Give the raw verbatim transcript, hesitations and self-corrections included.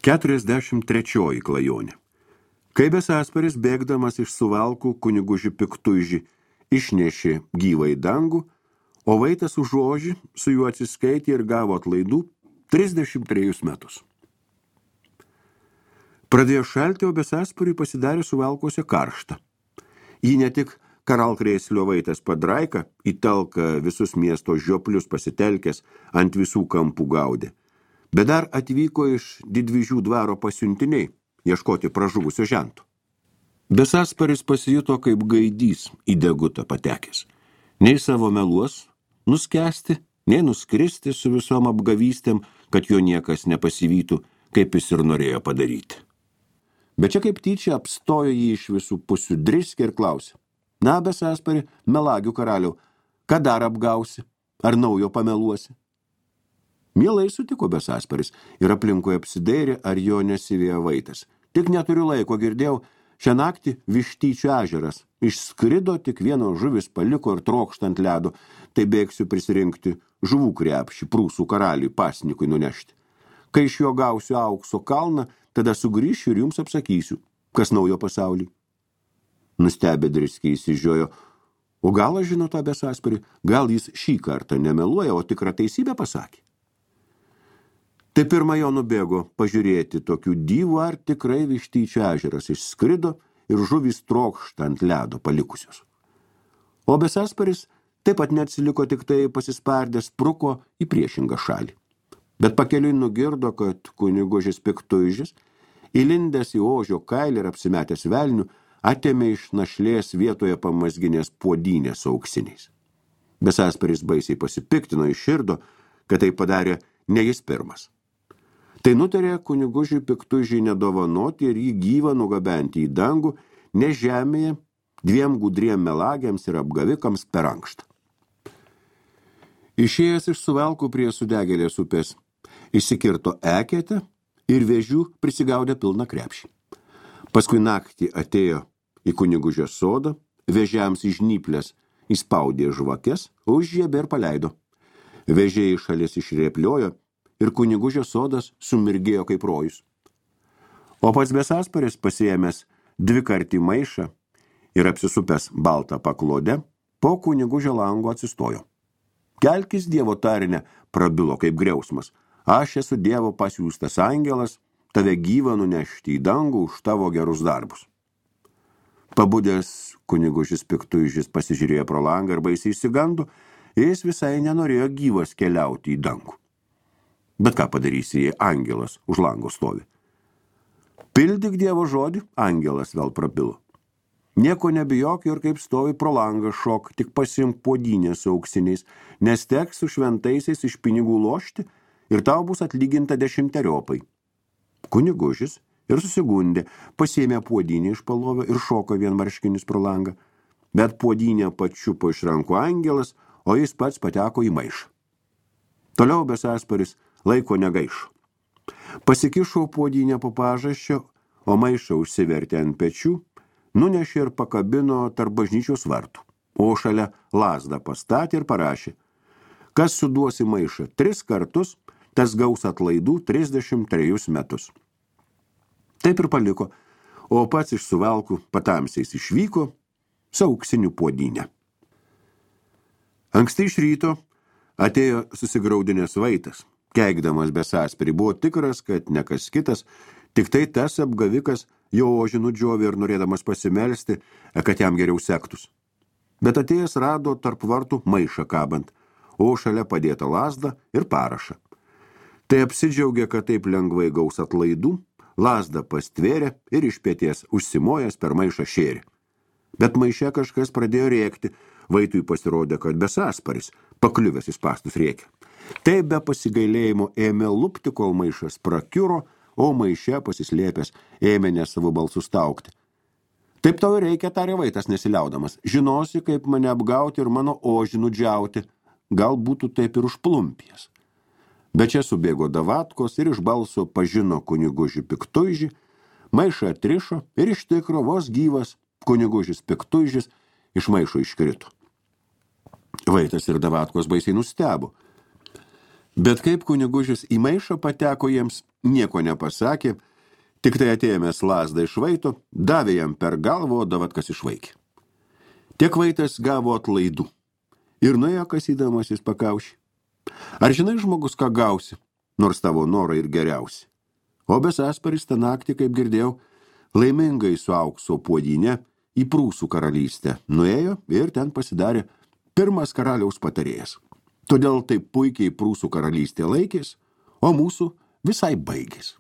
keturiasdešimt trečioji klajonė. Kai Besasparis bėgdamas iš Suvalkų kunigužį Piktuižį išnešė gyvą į dangų, o Vaitas už ožį su juo atsiskaitė ir gavo atlaidų trisdešimt trejus metus. Pradėjo šalti, o Besaspariui pasidarė Suvalkuose karšta. Jį ne tik Karalkrėslio Vaitas Padraika į talką visus miesto žioplius pasitelkęs ant visų kampų gaudė, bet dar atvyko iš Didvyžių dvaro pasiuntiniai ieškoti pražuvusio žento. Besasparis pasijuto kaip gaidys į degutą patekęs. Nei savo meluos nuskesti, nei nuskristi su visom apgavystėm, kad jo niekas nepasivytų, kaip jis ir norėjo padaryti. Bet čia kaip tyčia apstojo jį iš visų pusių driskė ir klausė: Na, Besaspari, melagių karaliau, ką dar apgausi? Ar naujo pameluosi? Mielai sutiko Besasparis ir aplinkoje apsidairė, ar jo nesivėjo Vaitas. Tik neturiu laiko, girdėjau, šią naktį Vištyčio ežeras. Išskrido, tik vieno žuvis paliko ir trokšta ant ledo, tai bėgsiu prisirinkti žuvų krepšį prūsų karaliui pasnikui nunešti. Kai iš jo gausiu aukso kalną, tada sugrįšiu ir jums apsakysiu, kas naujo pasaulį. Nustebę driskiai įsižiojo: O gal aš žinau tą Besasparį, gal jis šį kartą nemeluoja, o tikrą teisybę pasakė. Tai pirma jo nubėgo pažiūrėti tokių dyvų, ar tikrai Vištyčio ežeras išskrido ir žuvys trokšta ant ledo palikusios. O Besasparis taip pat neatsiliko, tik tai pasispardęs spruko į priešingą šalį. Bet pakeliui nugirdo, kad kunigužis Piktuižis, įlindęs į ožio kailį ir apsimetęs velnių, atėmė iš našlės vietoje pamazginės puodynės auksiniais. Besasparis baisiai pasipiktino, iširdo, kad tai padarė ne jis pirmas. Tai nutarė kunigužiui Piktuižiui nedovanoti ir jį gyvą nugabenti į dangų, ne žemėje, dviem gudriem melagiams ir apgavikams per ankštą. Išėjęs iš Suvalkų prie Sudegėlės upės, išsikirto eketę ir vėžių prisigaudė pilną krepšį. Paskui naktį atėjo į kunigužio sodą, vėžiams iš žnyplės įspaudė žvakes, užžiebė ir paleido. Vėžiai šalis išrėpliojo ir kunigužio sodas sumirgėjo kaip rojus. O pats Besasparis, pasiėmęs dvikartį maišą ir apsisupęs baltą paklodę, po kunigužio lango atsistojo. Kelkis Dievo tarinę, prabilo kaip griausmas. Aš esu Dievo pasiųstas angelas, tave gyvą nunešti į dangų už tavo gerus darbus. Pabudęs kunigužis Piktuižis pasižiūrėjo pro langą ir baisiai išsigando, jis visai nenorėjo gyvas keliauti į dangų. Bet ką padarysi, jei angelas už lango stovi? Pildyk Dievo žodį, angelas vėl prabilo. Nieko nebijok ir kaip stovi pro langą šok, tik pasimk puodynę su auksiniais, nes teks su šventaisiais iš pinigų lošti ir tau bus atlyginta dešimteriopai. Kunigužis ir susigundė, pasiėmė puodynę iš palovio ir šoko vienmarškinis pro langą, bet puodynę pačiupo iš rankų angelas, o jis pats pateko į maišą. Toliau Besasparis laiko negaišo. Pasikišo puodynę po pažasčio, o maišą užsivertė ant pečių, nunešė ir pakabino tarp bažnyčios vartų, o šalia lazdą pastatė ir parašė: Kas suduosi maišą tris kartus, tas gaus atlaidų trisdešimt trejus metus. Taip ir paliko, o pats iš Suvalkų patamsiais išvyko su auksiniu puodynę. Anksti iš ryto atėjo susigraudinęs Vaitas. Keikdamas Besasparį, buvo tikras, kad ne kas kitas, tik tai tas apgavikas jo ožį nudžiovė ir norėdamas pasimelsti, kad jam geriau sektus. Bet atėjęs rado tarp vartų maišą kabant, o šalia padėta lazda ir parašą. Tai apsidžiaugė, kad taip lengvai gaus atlaidų, lazdą pastvėrė ir iš pėties užsimojęs per maišą šėrė. Bet maiše kažkas pradėjo rėkti, Vaitui pasirodė, kad Besasparis pakliuvęs į spąstus rėkia. Taip be pasigailėjimo ėmė lupti, kol maišas prakiuro, o maiše pasislėpęs ėmė ne savo balsus staukti. Taip tau reikia, tarė Vaitas nesiliaudamas. Žinosi, kaip mane apgauti ir mano ožį nudžiauti. Gal būtų taip ir užplumpijęs. Bet čia subėgo Davatkos ir iš balso pažino kunigužį Piktuižį, maišą atrišo ir iš tikro vos gyvas kunigužis Piktuižis iš maišo iškrito. Vaitas ir Davatkos baisiai nustebo. Bet kaip kunigužis į maišą pateko jiems, nieko nepasakė, tik tai atėjęs lazdą iš vaito, davė jam per galvą, o davat kas išvaikė. Tiek vaitas gavo atlaidų ir nuėjo kasydamasis pakaušį. Ar žinai, žmogus, ką gausi, nors tavo norai ir geriausi? O Besasparis tą naktį, kaip girdėjau, laimingai su aukso puodynė į Prūsų karalystę nuėjo ir ten pasidarė pirmas karaliaus patarėjas. Todėl taip puikiai Prūsų karalystė laikės, o mūsų visai baigės.